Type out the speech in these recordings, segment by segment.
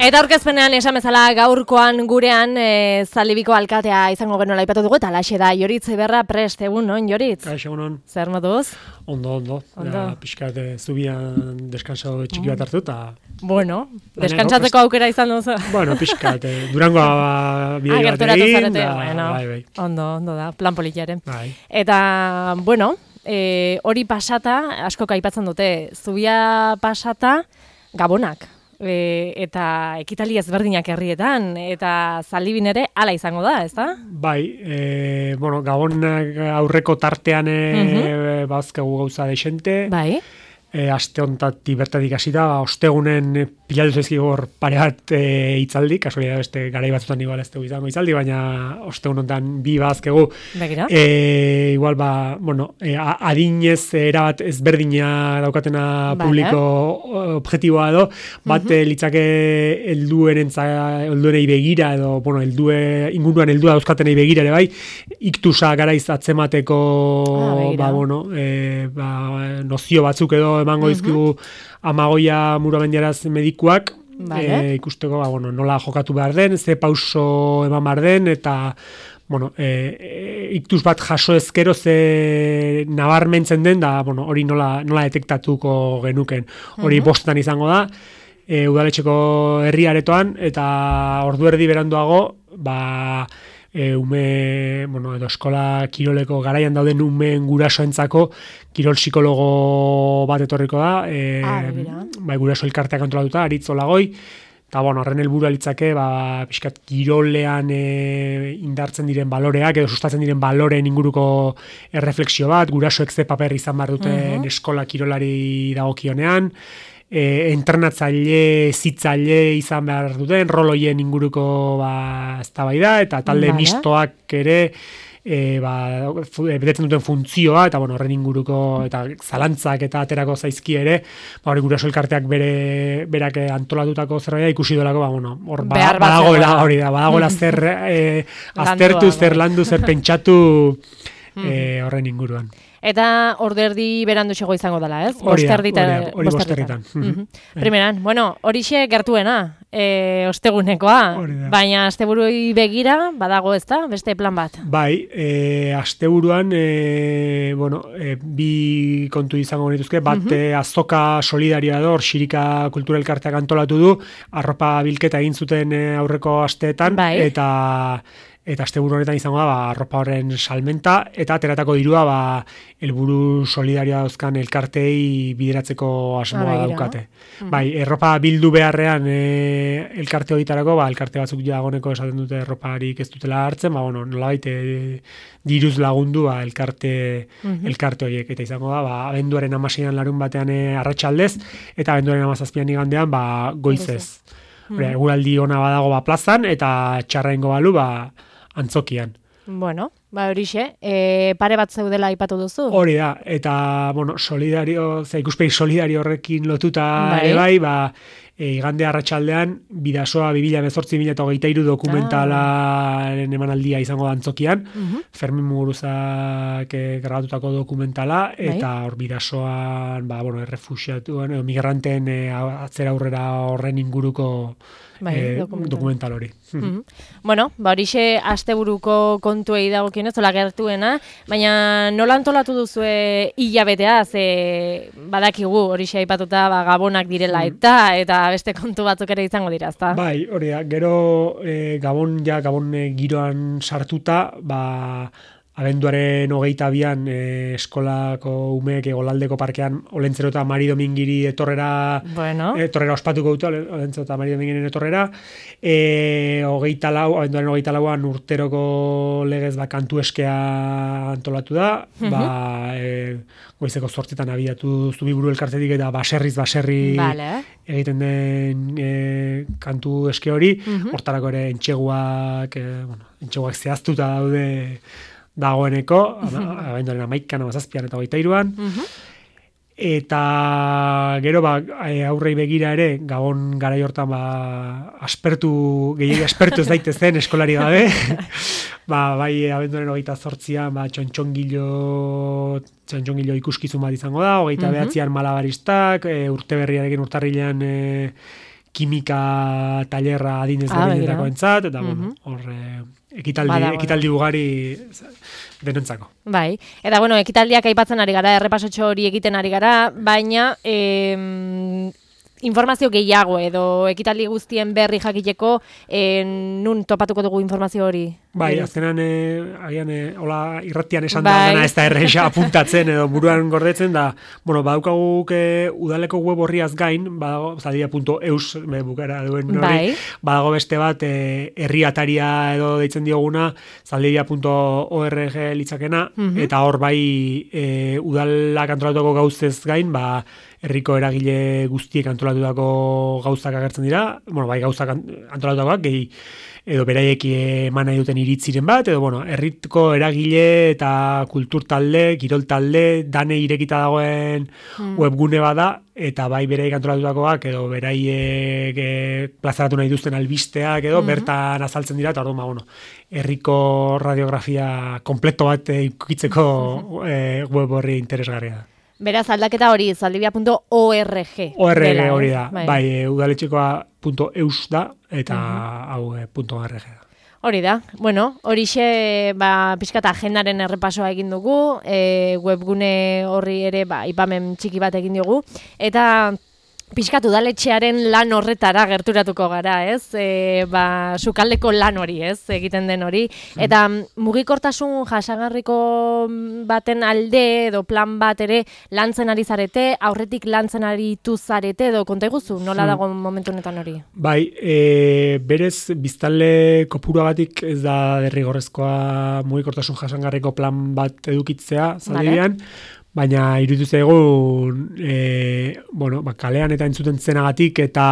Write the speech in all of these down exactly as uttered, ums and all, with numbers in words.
Eta aurkezpenean esan bezala gaurkoan gurean e, Zaldibiko alkatea izango genuela aipatu dugu, eta alaxe da Joritz Eberra prest, egun non, Joritz? Kaixo, egunon. Zer moduz? Ondo, ondo. Ondo. Ja, pixkat zubian deskanso txiki bat hartu, eta... Bueno, deskantsatzeko aukera izan duzu. Bueno, pixkat, eh, Durangoa bide bat gerturatu egin, zarete, da, bueno. bai, bai. Ondo, ondo da, plan politiaren. Bai. Eta, bueno, e, hori pasata, asko aipatzen dute, zubia pasata, gabonak. E, eta ekitali ezberdinak herrietan, eta Zaldibin ere hala izango da, ezta? Bai, e, bueno, gabonak aurreko tartean e, uh-huh. bazkegu gauza desente. Bai. E, aste hontatik bertatik hasi da, ostegunen pilatu zaizkigu hor pare bat e, hitzaldi, kasualia beste garai batzutan igual ez dugu izango hitzaldi, baina ostegun hontan bi bazkegu. Begira. E, igual ba, bueno, e, adinez erabat ezberdina daukatena vale. publiko objektiboa edo, bat uh-huh. litzake helduenentza helduenei begira edo, bueno, heldue inguruan heldua dauzkatenei begira ere bai, iktusa garaiz atzemateko ah, ba, bueno, e, ba, nozio batzuk edo emango dizkigu uh-huh. Amagoia Muramendiaraz medikuak, vale. e, ikusteko ba, bueno, nola jokatu behar den, ze pauso eman behar den, eta bueno, e, e, iktus bat jaso ezkero ze nabarmentzen den, da bueno, hori nola, nola detektatuko genuken. Hori uh-huh. bostetan izango da, e, udaletxeko herriaretoan, eta ordu erdi beranduago, ba... E, ume, bueno, edo eskola kiroleko garaian dauden umeen gurasoentzako kirol psikologo bat etorriko da, e, ah, bai, guraso elkarteak antolatuta, Aritz Olagoi, eta bueno, horren helburua litzake, ba, pixkat kirolean e, indartzen diren baloreak, edo sustatzen diren baloreen inguruko erreflexio bat, gurasoek ze paper izan behar duten uh-huh. eskola kirolari dagokionean, E, entrenatzaile, zitzaile izan behar duten, roloien inguruko ba, eztabaida eta talde vale. mistoak ere e, ba, betetzen duten funtzioa, eta bueno, horren inguruko eta zalantzak eta aterako zaizki ere, ba, hori guraso elkarteak bere, berak antolatutako zerbait ikusi dolako, ba, bueno, hor ba, badagoela, hori da, badagoela zer e, aztertu, zer landu, zer pentsatu e, horren inguruan. Eta orderdi berandu xego izango dela, ez? Hori da, hori bosterritan. Uh-huh. Primeran, bueno, horixe gertuena, e, ostegunekoa, baina asteburuei begira, badago ez da, beste plan bat? Bai, e, asteburuan, e, bueno, e, bi kontu izango genituzke, bat uh-huh. azoka solidarioa da, hor Xirika Kultura Elkarteak antolatu du, arropa bilketa egin zuten aurreko asteetan, bai. eta... Eta asteburu honetan izango da, ba, arropa horren salmenta, eta ateratako dirua, ba, helburu solidarioa dauzkan elkartei bideratzeko asmoa ah, daukate. Mm-hmm. Bai, erropa bildu beharrean e, elkarte horietarako, ba, elkarte batzuk dagoneko esaten dute erroparik ez dutela hartzen, ba, bueno, nolabait e, diruz lagundu ba, elkarte, mm-hmm. elkarte horiek. Eta izango da, ba, abenduaren hamaseian larun batean e, arratsaldez, eta abenduaren hamazazpian igandean, ba, goizez. Mm-hmm. Eguraldi ona badago ba, plazan, eta txarraingo balu, ba, antzokian. Bueno, ba horixe, e, pare bat zeudela aipatu duzu. Hori da, eta bueno, solidario, ze ikuspegi solidario horrekin lotuta bai, ere bai, ba e, igande arratsaldean Bidasoa bi mila hemezortzi bi mila hogeita hiru dokumentalaren emanaldia izango da antzokian. Uh-huh. Fermin Muguruzak e, grabatutako dokumentala bai. Eta hor Bidasoan, ba bueno, errefuxiatuen, migranteen e, atzera aurrera horren inguruko bai, e, dokumental. dokumental hori. Mm-hmm. Bueno, ba horixe asteburuko kontuei dagokionez, hola gertuena, baina nola antolatu duzue hilabetea, ze badakigu horixe aipatuta ba, gabonak direla eta eta beste kontu batzuk ere izango dira, ezta? Bai, hori da, gero e, gabon ja, gabon e, giroan sartuta, ba abenduaren hogeita bian e, eskolako umeek Golaldeko parkean Olentzero eta Mari Domingiri etorrera bueno. etorrera ospatuko dute Olentzero eta Mari Domingiren etorrera e, hogeita lau, abenduaren hogeita lauan urteroko legez ba, kantu eskea antolatu da uh-huh. ba, e, goizeko zortzitan abiatu Zubiburu elkartetik eta baserriz baserri vale. egiten den e, kantu eske hori uh-huh. hortarako ere entxeguak e, bueno, entxeguak zehaztuta daude dagoeneko, abenduaren amaikan, amazazpian eta hogeita hiruan. Uh-huh. Eta gero ba, aurrei begira ere, Gabon garai hortan ba, aspertu, gehiagia aspertu ez daitezen eskolari gabe. ba, bai, abenduaren hogeita zortzian, ba, txontxongilo, txontxongilo ikuskizun bat izango da, hogeita uh-huh. behatzian malabaristak, e, urte berriarekin urtarrilean e, kimika tailerra adinez Ah, berdinetako begira. entzat, eta Mhm. bueno, hor eh, ekitaldi, Bada, bada. ekitaldi ugari denentzako. Bai, eta bueno, ekitaldiak aipatzen ari gara, errepasotxo hori egiten ari gara, baina em, informazio gehiago edo ekitaldi guztien berri jakiteko eh, nun topatuko dugu informazio hori? Bai, Ere. azkenan, eh, agian, eh, hola irratian esan Bai. da dena ez da erresa apuntatzen edo buruan gordetzen da, bueno, badaukaguk eh, udaleko web horriaz gain, badago, zaldia punto eus be, bukara duen hori, Bai. badago beste bat, eh, herri ataria edo deitzen dioguna, zaldia punto org litzakena, Mhm. eta hor bai eh, udalak antolatuko gauzez gain, ba, herriko eragile guztiek antolatutako gauzak agertzen dira, bueno, bai gauzak antolatutakoak, gehi edo beraiek eman nahi duten iritziren bat, edo bueno, herriko eragile eta kultur talde, kirol talde, dane irekita dagoen Mm. webgune bada, eta bai beraiek antolatutakoak, edo beraiek e, plazaratu nahi duzten albisteak, edo Mhm. bertan azaltzen dira, eta orduan, ba, bueno, herriko radiografia kompleto bat e, ikukitzeko e, web horri interesgarria da. Beraz, aldaketa hori, zaldibia punto org. O R G dela, hori ez? da, bai, e, udaletxekoa punto eus da, eta hau e, punto .org da. Hori da, bueno, horixe ba, pixkat agendaren errepasoa egin dugu, e, webgune horri ere ba, ipamen txiki bat egin diogu, eta pixkat udaletxearen lan horretara gerturatuko gara, ez? E, ba, sukaldeko lan hori, ez? Egiten den hori. Eta mugikortasun jasangarriko baten alde edo plan bat ere lantzen ari zarete, aurretik lantzen aritu zarete edo konta iguzu, nola dago momentu honetan hori? Bai, e, berez biztanle kopuruagatik ez da derrigorrezkoa mugikortasun jasangarriko plan bat edukitzea, zaldian, baina iruditu zaigu e, bueno, ba, kalean eta entzuten zenagatik eta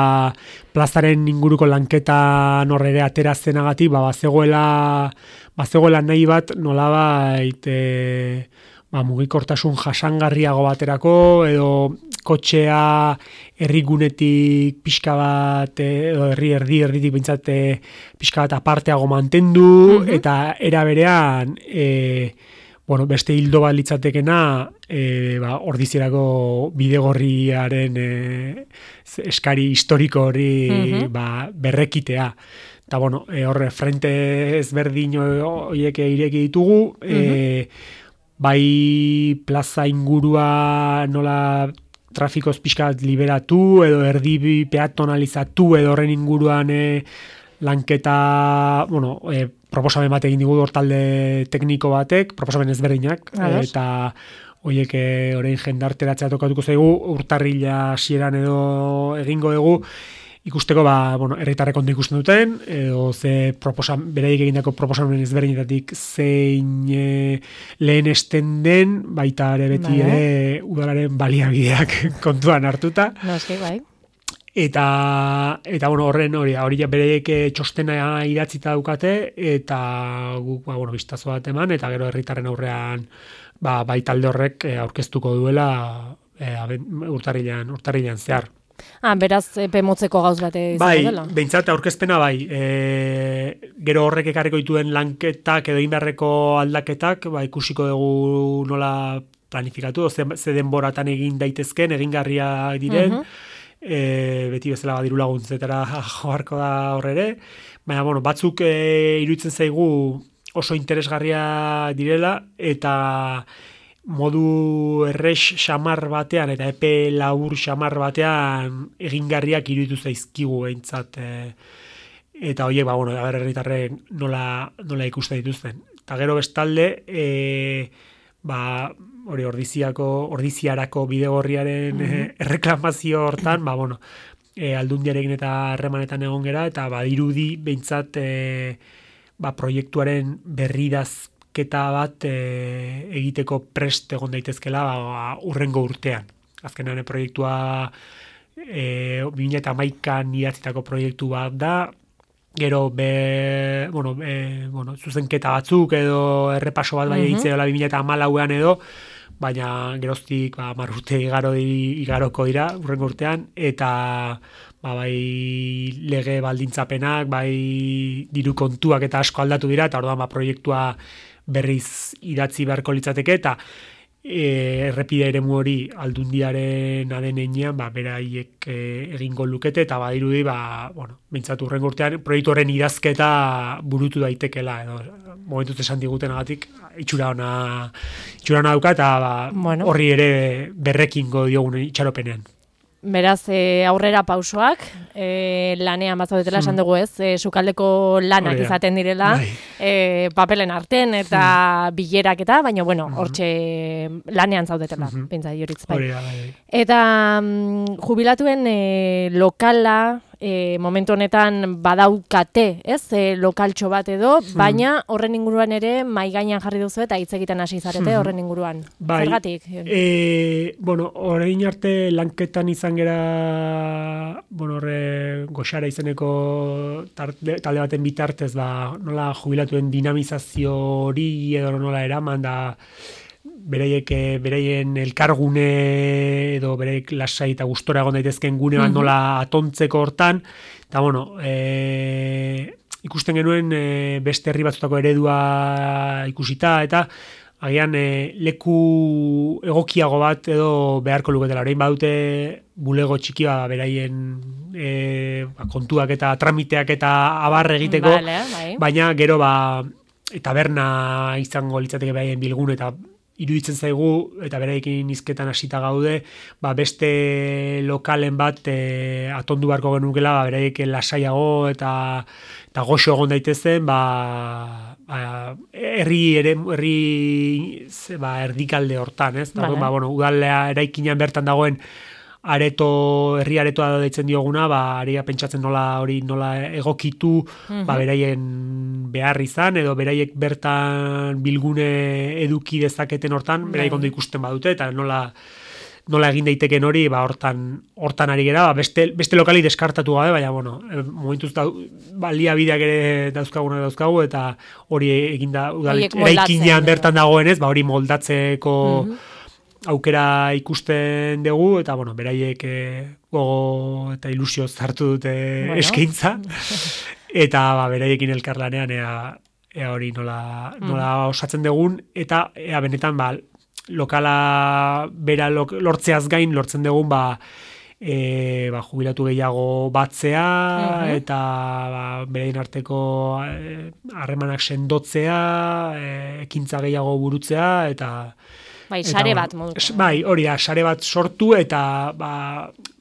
plazaren inguruko lanketa norrere atera zenagatik, ba, bazegoela, bazegoela nahi bat nolabait e, ba, mugikortasun jasangarriago baterako edo kotxea herrigunetik pixka bat edo herri erdi erditik bintzat pixka bat aparteago mantendu, mm-hmm. eta era berean e, bueno, beste hildo bat litzatekena e, ba, ordizierako bidegorriaren e, eskari historiko hori mm-hmm. ba, berrekitea. Eta, bueno, e, horre, frente ezberdin horiek ireki ditugu, mm-hmm. e, bai plaza ingurua nola trafikoz pixkat liberatu, edo erdi peatonalizatu, edo horren inguruan e, lanketa, bueno, e, proposamen bat egin digu hortalde tekniko batek, proposamen ezberdinak, Ados. eta horiek orain jendarteratzea tokatuko zaigu, urtarrila hasieran edo egingo dugu, ikusteko, ba, bueno, herritarrek ondo ikusten duten, edo ze proposan, beraiek egindako proposamen ezberdinetatik zein e, lehen esten den, baita ere beti Bai. ere udalaren baliabideak kontuan hartuta. Noski, bai. Eta, eta bueno, horren hori, hori bereiek txostena idatzita daukate, eta guk, ba, bueno, biztazo bat eman, eta gero herritarren aurrean, ba, bai talde horrek aurkeztuko duela e, urtarrilean, urtarrilean zehar. Ah, beraz, epe motzeko gauz bat izango bai, dela. Bai, behintzat aurkezpena bai, e, gero horrek ekarriko dituen lanketak edo inberreko aldaketak, ba, ikusiko dugu nola planifikatu, ze, ze denboratan egin daitezken, egingarriak diren, uh-huh. E, beti bezala badiru laguntzetara joarko da horrere, baina bueno, batzuk e, iruditzen zaigu oso interesgarria direla eta modu errex xamar batean eta epe labur xamar batean egingarriak iruditu zaizkigu behintzat e, eta horiek, ba, bueno, herritarrek nola, nola ikusten dituzten. Eta gero bestalde, e, ba, hori ordiziako, ordiziarako bidegorriaren mm-hmm. eh, erreklamazio hortan, ba, bueno, eh, aldundiarekin eta harremanetan egon gera, eta badirudi behintzat eh, ba, proiektuaren berridazketa bat eh, egiteko prest egon daitezkela ba, urrengo urtean. Azkenean proiektua eh, bi mila hamaikan idatzitako proiektu bat da, gero be, bueno, be, bueno, zuzenketa batzuk edo errepaso bat bai egitzea mm-hmm. bi mila hamalauean edo, baina geroztik ba, marrute igaro di, igaroko dira urrengo urtean, eta ba, bai lege baldintzapenak, bai diru kontuak eta asko aldatu dira, eta orduan ba, proiektua berriz idatzi beharko litzateke, eta e, errepide eremu hori aldundiaren adenean, ba, beraiek e, egingo lukete, eta badirudi, ba, bueno, bintzatu urrengo urtean, proiektu horren idazketa burutu daitekela, edo, momentuz esan digutenagatik, itxura ona, itxura ona dauka, eta ba, bueno. horri ere berrekingo diogun itxaropenean. Beraz, e, aurrera pausoak, e, lanean bazaudetela esan dugu ez, e, sukaldeko lanak Orea. izaten direla, e, papelen arten eta hmm. bilerak eta, baina, bueno, hortxe lanean zaudetela, mm -hmm. pentsa, Joritz, bai. Orea, bai. Eta mm, jubilatuen e, lokala, e, momentu honetan badaukate, ez, e, lokaltxo bat edo, hmm. baina horren inguruan ere mai gainean jarri duzu eta hitz egiten hasi zarete hmm. horren inguruan. Bai. Zergatik? E, bueno, orain arte lanketan izan gera, bueno, horre goxara izeneko tarte, talde baten bitartez, ba, nola jubilatuen dinamizazio hori edo nola eraman da, beraiek, beraien elkargune edo beraiek lasai eta gustora egon daitezken gune bat nola atontzeko hortan, eta bueno, e, ikusten genuen e, beste herri batzutako eredua ikusita, eta agian e, leku egokiago bat edo beharko luketela. Orain badute bulego txiki bat beraien e, ba, kontuak eta tramiteak eta abarre egiteko, vale, bai. Baina gero ba, taberna izango litzateke beraien bilgun eta iruditzen zaigu, eta beraiekin hizketan hasita gaude, ba beste lokalen bat e, atondu beharko genukela, ba beraiek lasaiago eta eta goxo egon daitezen, ba, ba herri ere herri ba erdikalde hortan, ez? Vale. Ba bueno, udalea eraikinean bertan dagoen areto, herri aretoa deitzen dioguna, ba aria pentsatzen nola hori nola egokitu, mm-hmm. ba beraien behar izan edo beraiek bertan bilgune eduki dezaketen hortan, mm-hmm. beraiek ondo ikusten badute eta nola nola egin daiteken hori, ba hortan hortan ari gera, ba, beste beste lokali deskartatu gabe, baina bueno, momentuz da baliabideak ere dauzkaguna dauzkagu eta hori eginda udalekainean bertan dagoenez, ba hori moldatzeko mm-hmm. aukera ikusten dugu, eta, bueno, beraiek e, gogo eta ilusio zartu dute bueno. eskaintza, eta ba, beraiekin elkarlanean ea, ea hori nola, nola mm. osatzen dugun, eta ea benetan ba, lokala bera lok, lortzeaz gain lortzen dugun ba, e, ba, jubilatu gehiago batzea, mm-hmm. eta ba, beraien arteko harremanak e, sendotzea, e, ekintza gehiago burutzea, eta bai, sare bat moduko. Bai, hori da, sare bat sortu eta ba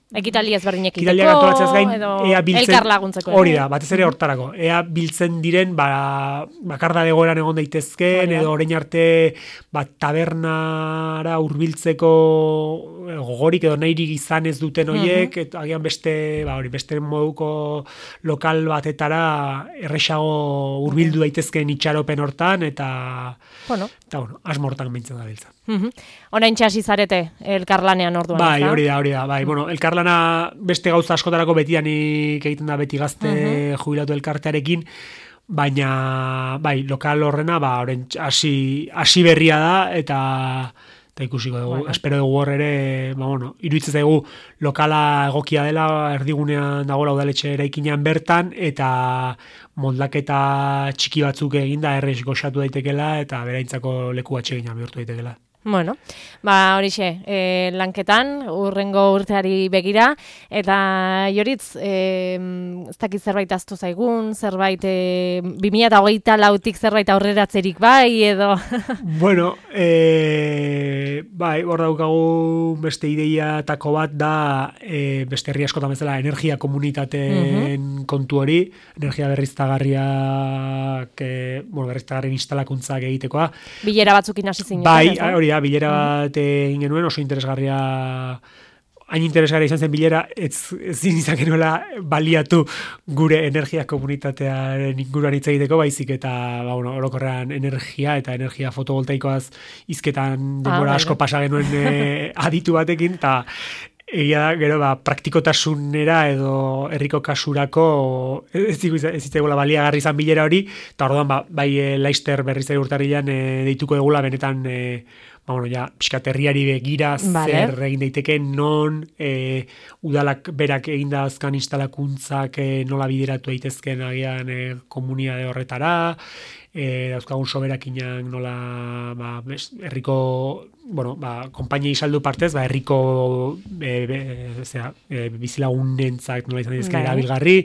ekitaldi ezberdinek iteko gain, edo biltzen, elkar laguntzeko. Hori da, batez ere hortarako. Ea biltzen diren ba bakarda egoeran egon daitezken edo orain arte ba tabernara hurbiltzeko gogorik edo nahirik izan ez duten hoiek, uh-huh. eta agian beste, ba hori, beste moduko lokal batetara erresago hurbildu daitezken itxaropen hortan eta bueno, eta bueno, asmortan beintzen da biltza. Mhm. Orain txasi zarete elkarlanean orduan. Bai, hori da, hori da. Bai, bueno, elkarlana beste gauza askotarako betianik egiten da beti gazte uh-huh. jubilatu elkartearekin, baina bai, lokal horrena ba orain hasi hasi berria da eta eta ikusiko dugu, bueno. espero dugu hor ere, ba bueno, iruditzen zaigu lokala egokia dela, erdigunean dagoela udaletxe eraikinean bertan eta moldaketa txiki batzuk eginda errez goxatu daitekela eta beraintzako leku atsegina bihurtu daitekela. Bueno, ba horixe, e, lanketan, urrengo urteari begira, eta Joritz, e, ez dakit zerbait aztu zaigun, zerbait e, bi mila hogeita lautik zerbait aurreratzerik bai, edo... Bueno, e, bai, hor daukagu beste ideiatako bat da, e, beste herri askotan bezala, energia komunitateen uh-huh. kontu hori, energia berriztagarriak, e, bueno, berriztagarrien instalakuntzak egitekoa. Bilera batzukin hasi zinen. Bai, hori da, bilera bat egin genuen, oso interesgarria, hain interesgarria izan zen bilera, ez zin izan genuela baliatu gure energia komunitatearen inguruan hitz egiteko, baizik eta ba, bueno, orokorrean energia eta energia fotovoltaikoaz hizketan denbora ah, asko pasa genuen e, aditu batekin, eta egia da, gero, ba, praktikotasunera edo herriko kasurako ez zitzaigula baliagarri izan bilera hori, eta orduan, ba, bai e, Laister berriz ere urtarrilan e, deituko egula benetan e, ba, bueno, ja, pixkat herriari begira vale. Zer egin daiteke, non e, udalak berak eginda azkan instalakuntzak e, nola bideratu daitezken agian e, komunitate horretara, e, dauzkagun soberakinak nola ba, bes, herriko, bueno, ba, konpainia saldu partez, ba, herriko e, be, zera, e, bizilagunentzak nola izan dizke erabilgarri,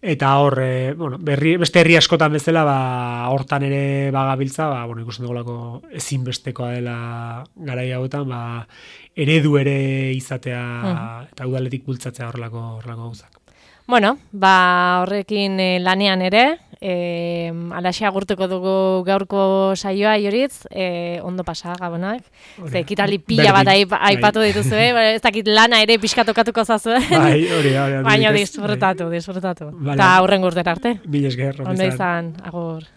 eta hor, e, bueno, berri, beste herri askotan bezala, ba, hortan ere bagabiltza, ba, bueno, ikusten dugulako ezinbestekoa dela garai hauetan, ba, eredu ere izatea mm. eta udaletik bultzatzea horrelako horrelako gauzak. Bueno, ba horrekin e, lanean ere, e, alaxe agurtuko dugu gaurko saioa Ioritz, e, ondo pasa Gabonak. Ze ekitali pila bat aipatu dituzu, ez dakit lana ere pixka tokatuko zazue. Bai, hori, hori. Baina disfrutatu, disfrutatu. Eta aurren gurtera arte. Mil esker, ondo izan, agur.